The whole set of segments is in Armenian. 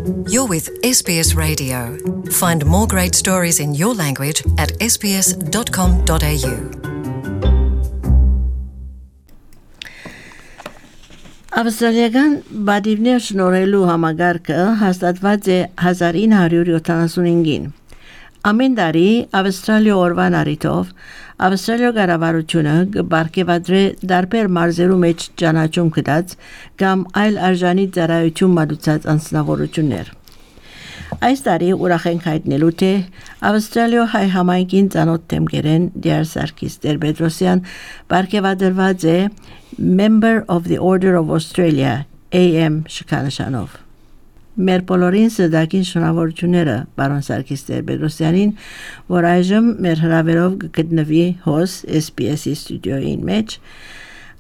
You're with SBS Radio. Find more great stories in your language at sbs.com.au. Ավստրալիական բադիվներ շնորհելու համագարկը հաստատված է 1975-ին։ Ամեն տարի Ավստրալիա օրվան առիթով Ավստրալիա կառավարությունը կբարգեւադրե դարբեր մարզերու մեջ ճանաչում կդած կամ այլ արժանի ծառայություն մատուցած անձնավորություններ։ Այս տարի ուրախ ենք հայտնելու թե Ավստրալիա հայ համայնքին ծանոթ թեմգերեն Դիար Սարգիս Տեր-Պետրոսյան բարգեւադրված է Member of the Order of Australia AM շքանշանով։ Մեր բոլորին սրտագին շնորհավորությունները պարոն Սարգիս Տեր-Պետրոսյանին, որ այժմ մեր հրավերով կգտնվի հոս SBS-ի ստուդիոյին մեջ,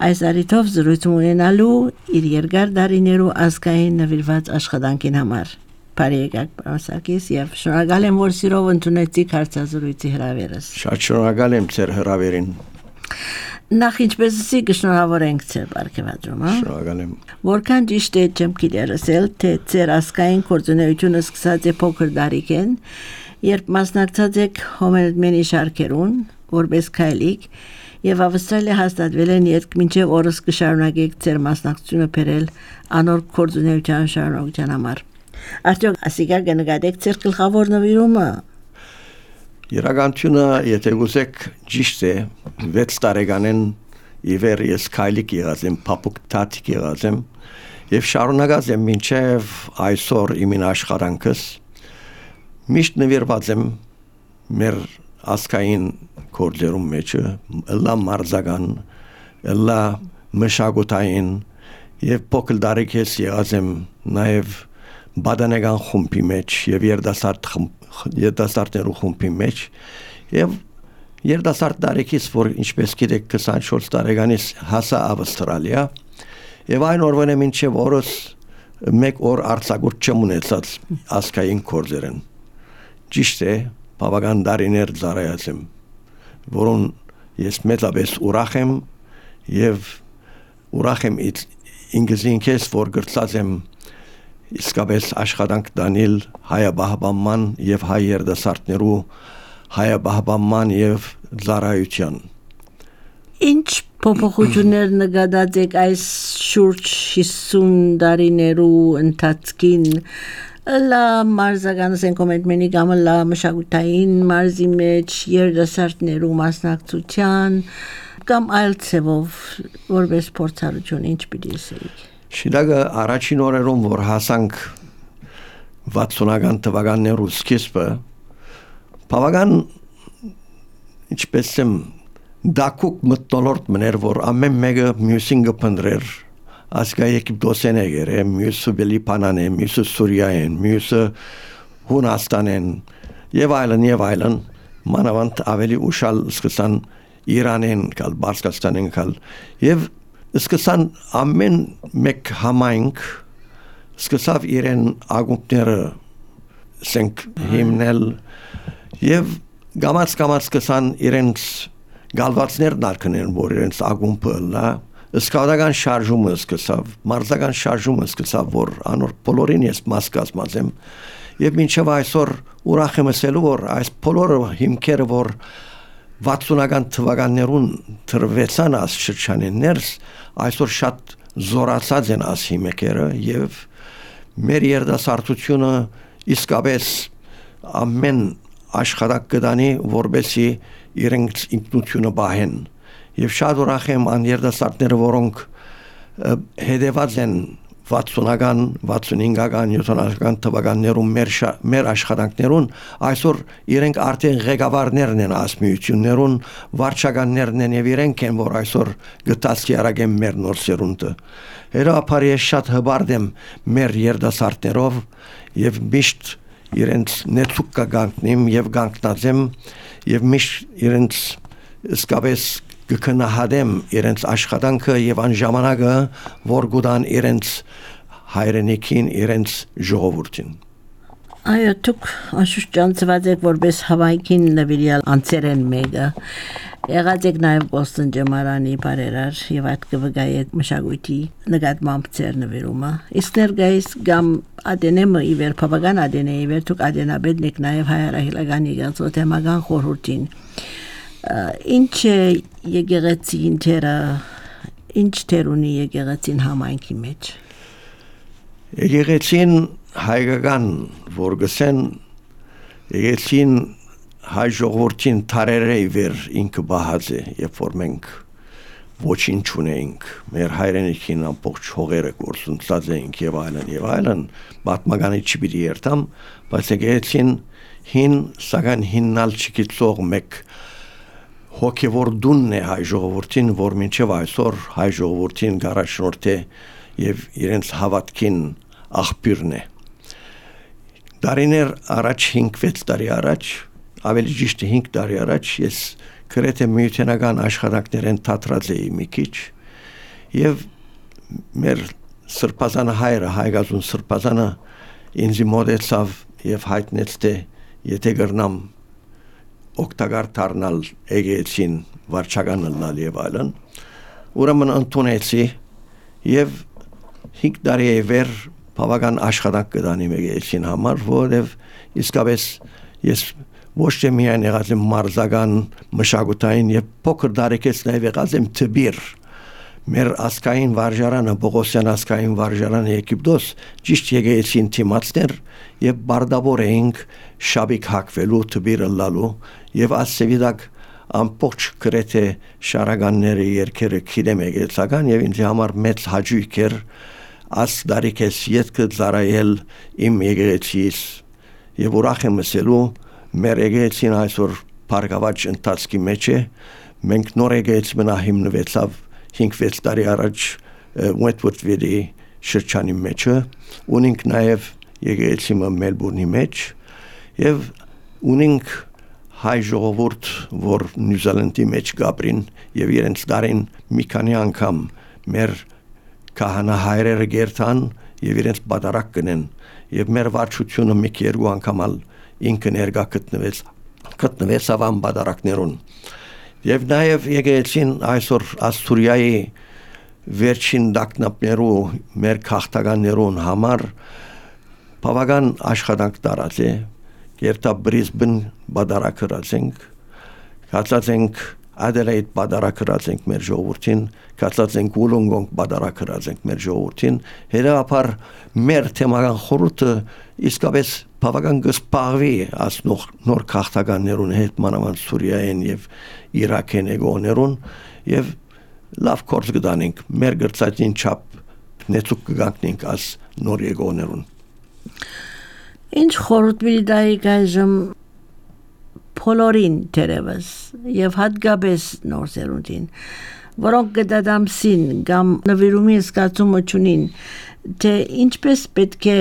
այս առիթով զրույց ունենալու իր երկար տարիներու ազգային նվիրված աշխատանքին համար։ Բարի եկեք պարոն Սարգիս եւ շնորհակալ եմ, որ սիրով ընդունեցիք հարցազրույցի հրավերս։ Շատ շնորհակալ եմ ձեր հրավերին։ Նախ ինչպես կշնորհավոր ենք ձեր բարգեւադրում, հա։ Շնորհակալ եմ։ Որքան ճիշտ է չեմ գիտերսել, թե ձեր ազգային գործունեությունը սկսած է փոքր տարիքեն, երբ մասնակցած եք հոմելմենի շարքերուն, որպես քայլիկ, եւ Ավստրալիա հաստատվել են երբ մինչեւ օրս կշարունակեք ձեր մասնակցությունը բերել անոր գործունեության շարունակության համար։ Արդյոք ասիկա կնկատեք ձեր գլխավոր նվիրումը։ Իրականությունը, եթե ուզեք, ճիշտ է, 6 տարեկանեն իվեր ես քայլիկ եղած եմ, փափուկ տատիկ եղած եմ եւ շարունակած եմ մինչեւ այսօր իմ աշխատանքս միշտ նվիրված եմ մեր ազգային գործերում մեջ, լա մարզական, լա մշակութային եւ փոքր տարիքից եղած եմ նաեւ բադանեգան խումբի մեջ եւ երդասարտներու խումբի մեջ եւ երդասարտ տարիքից որ ինչպես գիտեք 24 տարեկանից հասա Ավստրալիա եւ այն օրվանե մինչեւ օրս մեկ օր արձակուրդ չեմ ունեցած ազգային գործերեն ճիշտ է բավական տարիներ ծառայած եմ որոն ես մեծապես ուրախ եմ եւ ուրախ եմ ինքզինքես որ գրծած եմ իսկապես աշխատանք դանել հայաբահբանման եւ հայ երդասարտներու հայաբահբանման եւ ծառայության Ինչ փոփոխություններ նկատած եք այս շուրջ 50 տարիներու ընթացքին լա մարզական սենկոմենտմենի կամ լա մշակութային մարզի մեջ երդասարտներու մասնակցության կամ այլ ցևով որպես փորձառություն ինչ պիտի ասեիք Շիդագը առաջին օրերում որ հասանք 60-ական թվականներու սկիզբը բավական ինչպես եմ դակուկ մտնոլորտ մներ որ ամեն մեկը մյուսին կփնտրեր ասկայեք դոսենեգեր մյուսը բելիպանան է մյուսը սուրիան մյուսը հունաստանեն եւ այլն մանավանդ ավելի ուշալ սկսան Իրանեն կալ Բարսկաստանեն կալ եւ Սկսան ամեն մեկ համայնք սկսավ իրեն ագումբները սենք հիմնել եւ գամած սկսան իրենց գալվածներ դարքնել որ իրենց ագումբը լա սկավդական շարժումը սկսավ մարզական շարժումը սկսավ որ անոր բոլորին ես մաս կազմած եմ եւ մինչեւ այսօր ուրախ եմ ասելու որ այս բոլորը հիմքերը որ 60-ական թվականներուն թրվեցան աս շրջաններս այսօր շատ զորացած են աս հիմքերը եւ մեր երդասարտությունը իսկապես ամեն աշխատանք կդանի որբեսի իրենց ինքնությունը բահեն եւ շատ ուրախ եմ ան երդասարտները որոնք հետեված են 60-ական, 65-ական, 70-ական թվականներում մեր աշխատանքներուն այսօր իրենք արդեն ղեկավարներն են ասմիություններուն, վարչականներն են եւ իրենք են որ այսօր գտածքի արագեն մեր նոր սերունդը։ Հերապար ես շատ հբարդ եմ մեր երդասարտներով եւ միշտ իրենց նեցուկ կգանքնեմ եւ գանքնած եմ եւ միշտ իրենց իսկապես կքնահատեմ իրենց աշխատանքը եւ այն ժամանակը որ գուտան իրենց հայրենիքին իրենց ժողովրդին Այո դուք աշուշ ճանցված եք որպես հավաքին նվիրյալ անցերեն մեկը Եղած եք նաև Բոստոն ջամարանի բարերար եւ այդ կվգայի մշակույթի նկատմամբ ծեր նվիրումը։ Իսկ ներկայիս գամ ադենեմը իվեր բավական ադենեի վեր դուք ադենաբեդնիկ նաև հայրահիլական եկեղեցու թեմական խորհրդին։ Ինչ եկեղեցին դերը ինչ դերունի եկեղեցին համայնքի մեջ։ Եկեղեցին հայկական որ գսեն եկեղեցին հայ ժողովրդին թարերեի վեր ինքը բահած է, երբ որ մենք ոչինչ չունեինք, մեր հայրենիքին ամբողջ հողերը գործունեած էինք եւ այլն, պատմականի չպիտի երթամ, բայց եկեղեցին հին սակայն հիննալ չգիտող մեկ հոգևոր դունն է հայ ժողովրդին, որ մինչև այսօր հայ ժողովրդին գարաշնորհ է եւ իրենց հավատքին աղբյուրն է։ Դարիներ առաջ 5-6 տարի առաջ ավելի ճիշտ 5 տարի առաջ ես գրեթե միութենական աշխատանքներեն թատրած էի մի քիչ եւ մեր սրբազանը հայրը հայգազուն սրբազանը ինձ մոտեցավ եւ հայտնեց թե եթե գրնամ օգտակար դառնալ եկեղեցին վարչական լալ եւ այլն ուրեմն ընդունեցի եւ 5 տարի վեր բավական աշխատանք կդանի եկեղեցին համար որովհետեւ իսկապես ես ոչ թե միայն եղած եմ մարզական մշակութային եւ փոքր դարեկից նաեւ եղած եմ թբիր մեր ասկային վարժարանը Բողոսյան ասկային վարժարանը Եգիպտոս ճիշտ եկեղեցին թիմացներ եւ բարդավոր էինք շաբիկ հակվելու թբիրը լալու եւ ասեվիդակ ամբողջ գրեթե շարականների երկերը քիլեմ եկեղեցական եւ ինձ համար մեծ հաճույք էր աս դարեկից յետքը ծարայել իմ եկեղեցիս եւ ուրախ եմ ասելու մեր եկեղեցին այսօր բարգավաճ ընթացքի մեջ է մենք նոր եկեղեցի մնա հիմնվեցավ 5-6 տարի առաջ Wentworth-ի շրջանի մեջ ունենք նաև եկեղեցի Մելբուրնի մեջ եւ ունենք հայ ժողովուրդ որ Նյուզիլանդի մեջ գաբրին եւ իրենց դարին մի քանի անգամ մեր քահանա գերտան եւ իրենց բادرակ կնեն եւ մեր վարչությունը մի քերու անգամ ինքը ներկա գտնվեց ավան բادرակներուն եւ նաեւ եկեղեցին այսօր Ասթուրիայի վերջին դակնապներու մեր քաղաքականներուն համար բավական աշխատանք տարած է երթա Բրիզբեն բادرակրացենք կացածենք Adelaide բادرակրացենք մեր ժողովրդին կացածենք Wollongong բادرակրացենք մեր ժողովրդին հետապար մեր թեմական խորհուրդը իսկապես բավական գսպարվի as նոր քաղաքականներուն հետ մանավանդ Սուրիայեն եւ Իրաքեն եկողներուն եւ լավ կորձ կդանենք մեր գրծածին չափ նեցուկ կգանքնենք as նոր եկողներուն Ինչ խորհուրդ մի դայի գայժմ փոլորին դերևս եւ հատկապես նոր սերունդին որոնք գդադամսին կամ նվիրումի զգացումը չունին թե ինչպես պետք է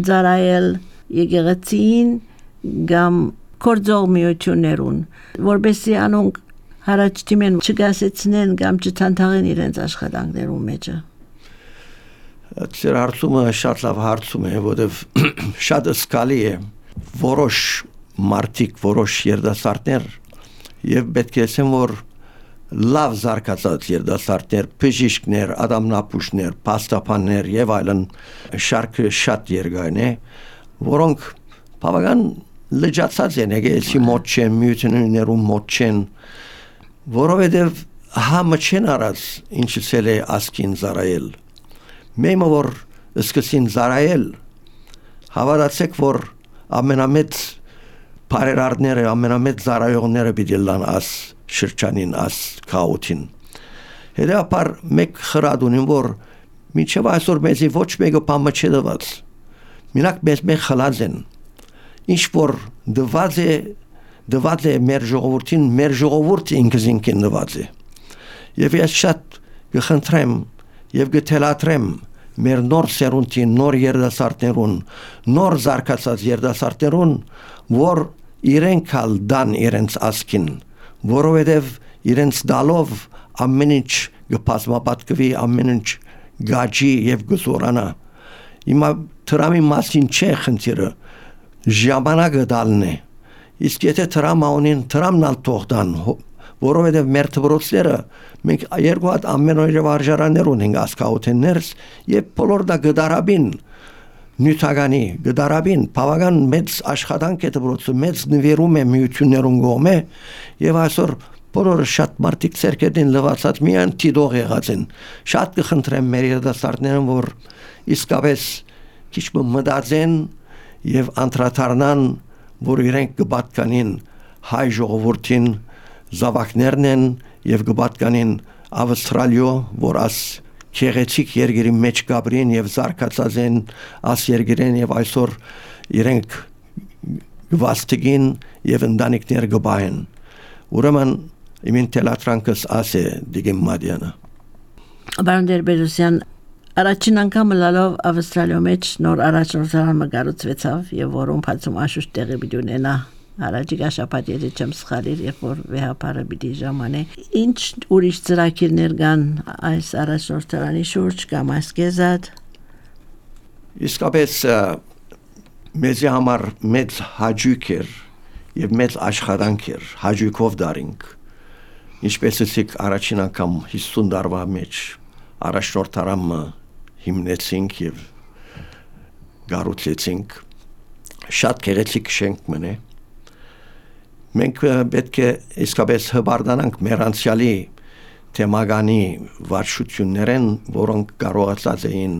ծառայել եկեղեցին կամ կորձող միություններուն որբեսի անոնք հարաճ դիմեն չգասեցնեն կամ չթանթաղեն իրենց աշխատանքներում մեջը Ձեր հարցումը շատ լավ հարցում է որովհետև շատ սկալի է որոշ մարդիկ որոշ երդասարտներ եւ պետք է ասեմ որ լավ զարգացած երդասարտներ բժիշկներ ադամնապուշներ պաստապաններ եւ այլն շարքը շատ երկայն է որոնք բավական լճացած են եկեղեցի մոտ չեն միություններում մոտ չեն որովհետեւ համը չեն արած ինչսել է ասկին զարայել մեմը որ սկսին զարայել հավատացեք որ ամենամեծ Բարերարները ամենամեծ զարայողները պիտի լան աս շրջանին աս քաոթին հետապար մեկ խրադունին որ միջև այսօր մեզի ոչ մեկը բամը չդված մինակ մեկ խլած են ինչ որ դված է մեր ժողովրդին մեր ժողովուրդը ինքզինքին դված է եւ ես շատ գխնդրեմ եւ գթելատրեմ մեր նոր սերունդին նոր երդասարտներուն նոր զարգացած երդասարտներուն որ իրենք ալ դան իրենց ասկին որովհետև իրենց դալով ամեն ինչ գպազմապատկվի ամեն ինչ գաջի եւ գզորանա հիմա տրամի մասին չէ խնդիրը ժամանակը դալն է իսկ եթե տրամաունին տրամնալ թողդան որովհետև մեր դպրոցները մենք երկու հատ ամենօրյա վարժարաններ ունենք ասկաութեններս եւ բոլոր դա գդարաբին նյութականի գդարաբին բավական մեծ աշխատանք է դպրոցը մեծ նվիրում է միություններուն գոմե եւ այսօր բոլորը շատ մարդիկ ցերկերին լվացած միան տիդող եղած են շատ կխնդրեմ մեր երիտասարդներին որ իսկապես քիչ մտածեն եւ անդրադառնան որ իրենք կպատկանին հայ ժողովրդին զավակներն են եւ կպատկանին Ավստրալիո որ աս քեղեցիկ երկրի մեջ գաբրին եւ զարգացած են աս երկրեն եւ այսօր իրենք գվաստգին եւ ընտանիքներ գբային ուրեմն իմին տելատրանքս ասե դիգեմ մադյանը Բարոն Տեր-Պետրոսյան առաջին անգամ լալով Ավստրալիո մեջ նոր առաջնորդարան մգարուցվեցավ եւ որում բացում աշուշ տեղի պիտի ունենա Առաջիկա շաբաթ եթե չեմ սխալիր երբ որ վեհապարը պիտի ժամանե ինչ ուրիշ ծրագիրներ կան այս առաջնորդարանի շուրջ կամ ասկեզատ Իսկապես մեզի համար մեծ հաճույք էր եւ մեծ աշխատանք էր հաճույքով դարինք ինչպես ասեք առաջին անգամ 50 տարվա մեջ առաջնորդարանը հիմնեցինք եւ գառուցեցինք շատ գեղեցիկ շենք մնե մենք պետք է իսկապես հբարդանանք մեր անցյալի թեմագանի վարչություններեն, որոնք կարողացած էին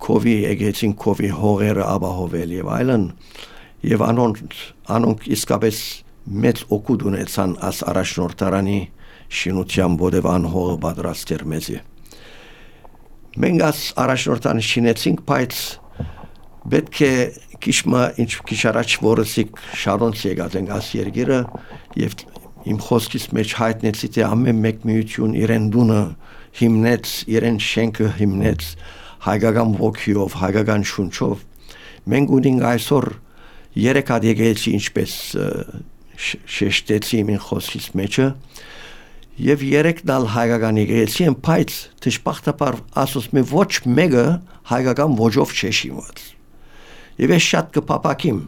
կովի եկեցին կովի հողերը ապահովել եւ այլն եւ անոնք իսկապես մեծ օգուտ ունեցան աս առաջնորդարանի շինության ովև անհողը պատրաստեր մեզի մենք աս առաջնորդարանը շինեցինք բայց պետք է քիչ առաջ որսիկ շարոնց եկած են աս երկիրը եւ իմ խոսքից մեջ հայտնեցի թե ամեն մեկ միություն իրեն դունը հիմնեց իրեն շենքը հիմնեց հայկական ոգիով հայկական շունչով մենք ունենք այսօր երեք հատ եկեղեցի ինչպես շեշտեցի իմ խոսքից մեջը եւ երեքն ալ հայկական եկեղեցի են բայց դժբախտաբար ասոս մի ոչ մեկը հայկական ոճով չեշիմաց Եվ ես շատ կպապակիմ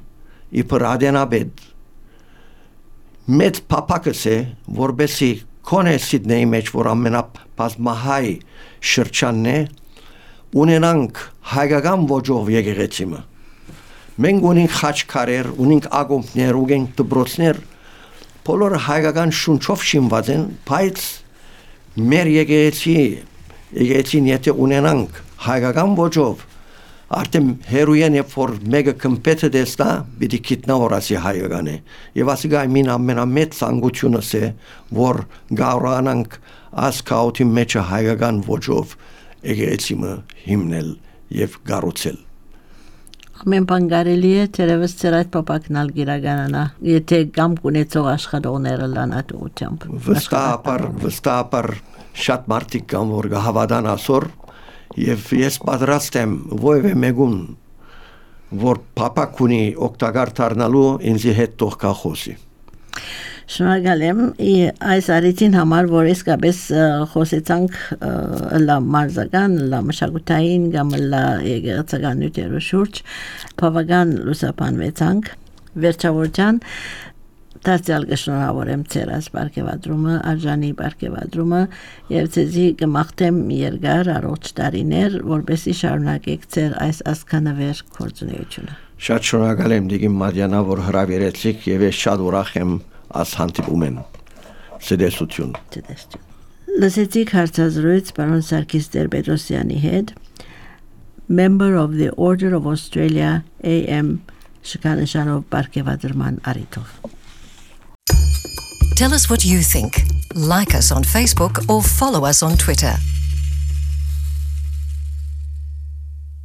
իբր ադենաբեդ մեծ պապակս է որբեսի կոնե Սիդնեի մեջ որ ամենաբազմահայ շրջանն է ունենանք հայկական ոճով եկեղեցիմը մենք ունենք խաչքարեր ունենք ակումբներ ունենք դպրոցներ բոլորը հայկական շունչով շինված են բայց մեր եկեղեցին եթե ունենանք հայկական ոճով Արդեն հերույեն երբ որ մեկը կմպետը դեստա պիտի գիտնա որասի հայկական է եւ ասիկա մին ամենամեծ ցանկությունս է որ գարորանանք ասկաութի մեջը հայկական ոճով եկեղեցիմը հիմնել եւ գառուցել Ամեն բան կարելի է թերևս ծեր այդ պապակնալ գիրականանա եթե կամ կունեցող աշխատողները լանատուությամբ վստահաբար շատ մարդիկ կան որ կհավատան ասոր Եվ ես պատրաստ եմ ովևէ մեկուն որ պապակ ունի օգտակար դառնալու ինձի հետ թող կա խոսի Շնորհակալ եմ այս արիցին համար որ իսկապես խոսեցանք լա մարզական լա մշակութային կամ լա եկեղեցական նյութերու շուրջ բավական լուսաբանվեցանք վերջավորության Դարձյալ կշնորհավորեմ ձեր այս բարգեւադրումը, արժանի բարգեւադրումը եւ ձեզի կմաղթեմ երկար առողջ տարիներ, որպեսզի շարունակեք ձեր այս ասկանավեր գործունեությունը։ Շատ շնորհակալ եմ Դիգին Մադյանա, որ հրավիրեցիք եւ ես շատ ուրախ եմ աս հանդիպումեն։ Ցտեսություն։ Լսեցիք հարցազրույց պարոն Սարգիս Տեր-Պետրոսյանի հետ, member of the Order of Australia AM շքանշանով բարգեւադրման առիթով։ Tell us what you think. Like us on Facebook or follow us on Twitter.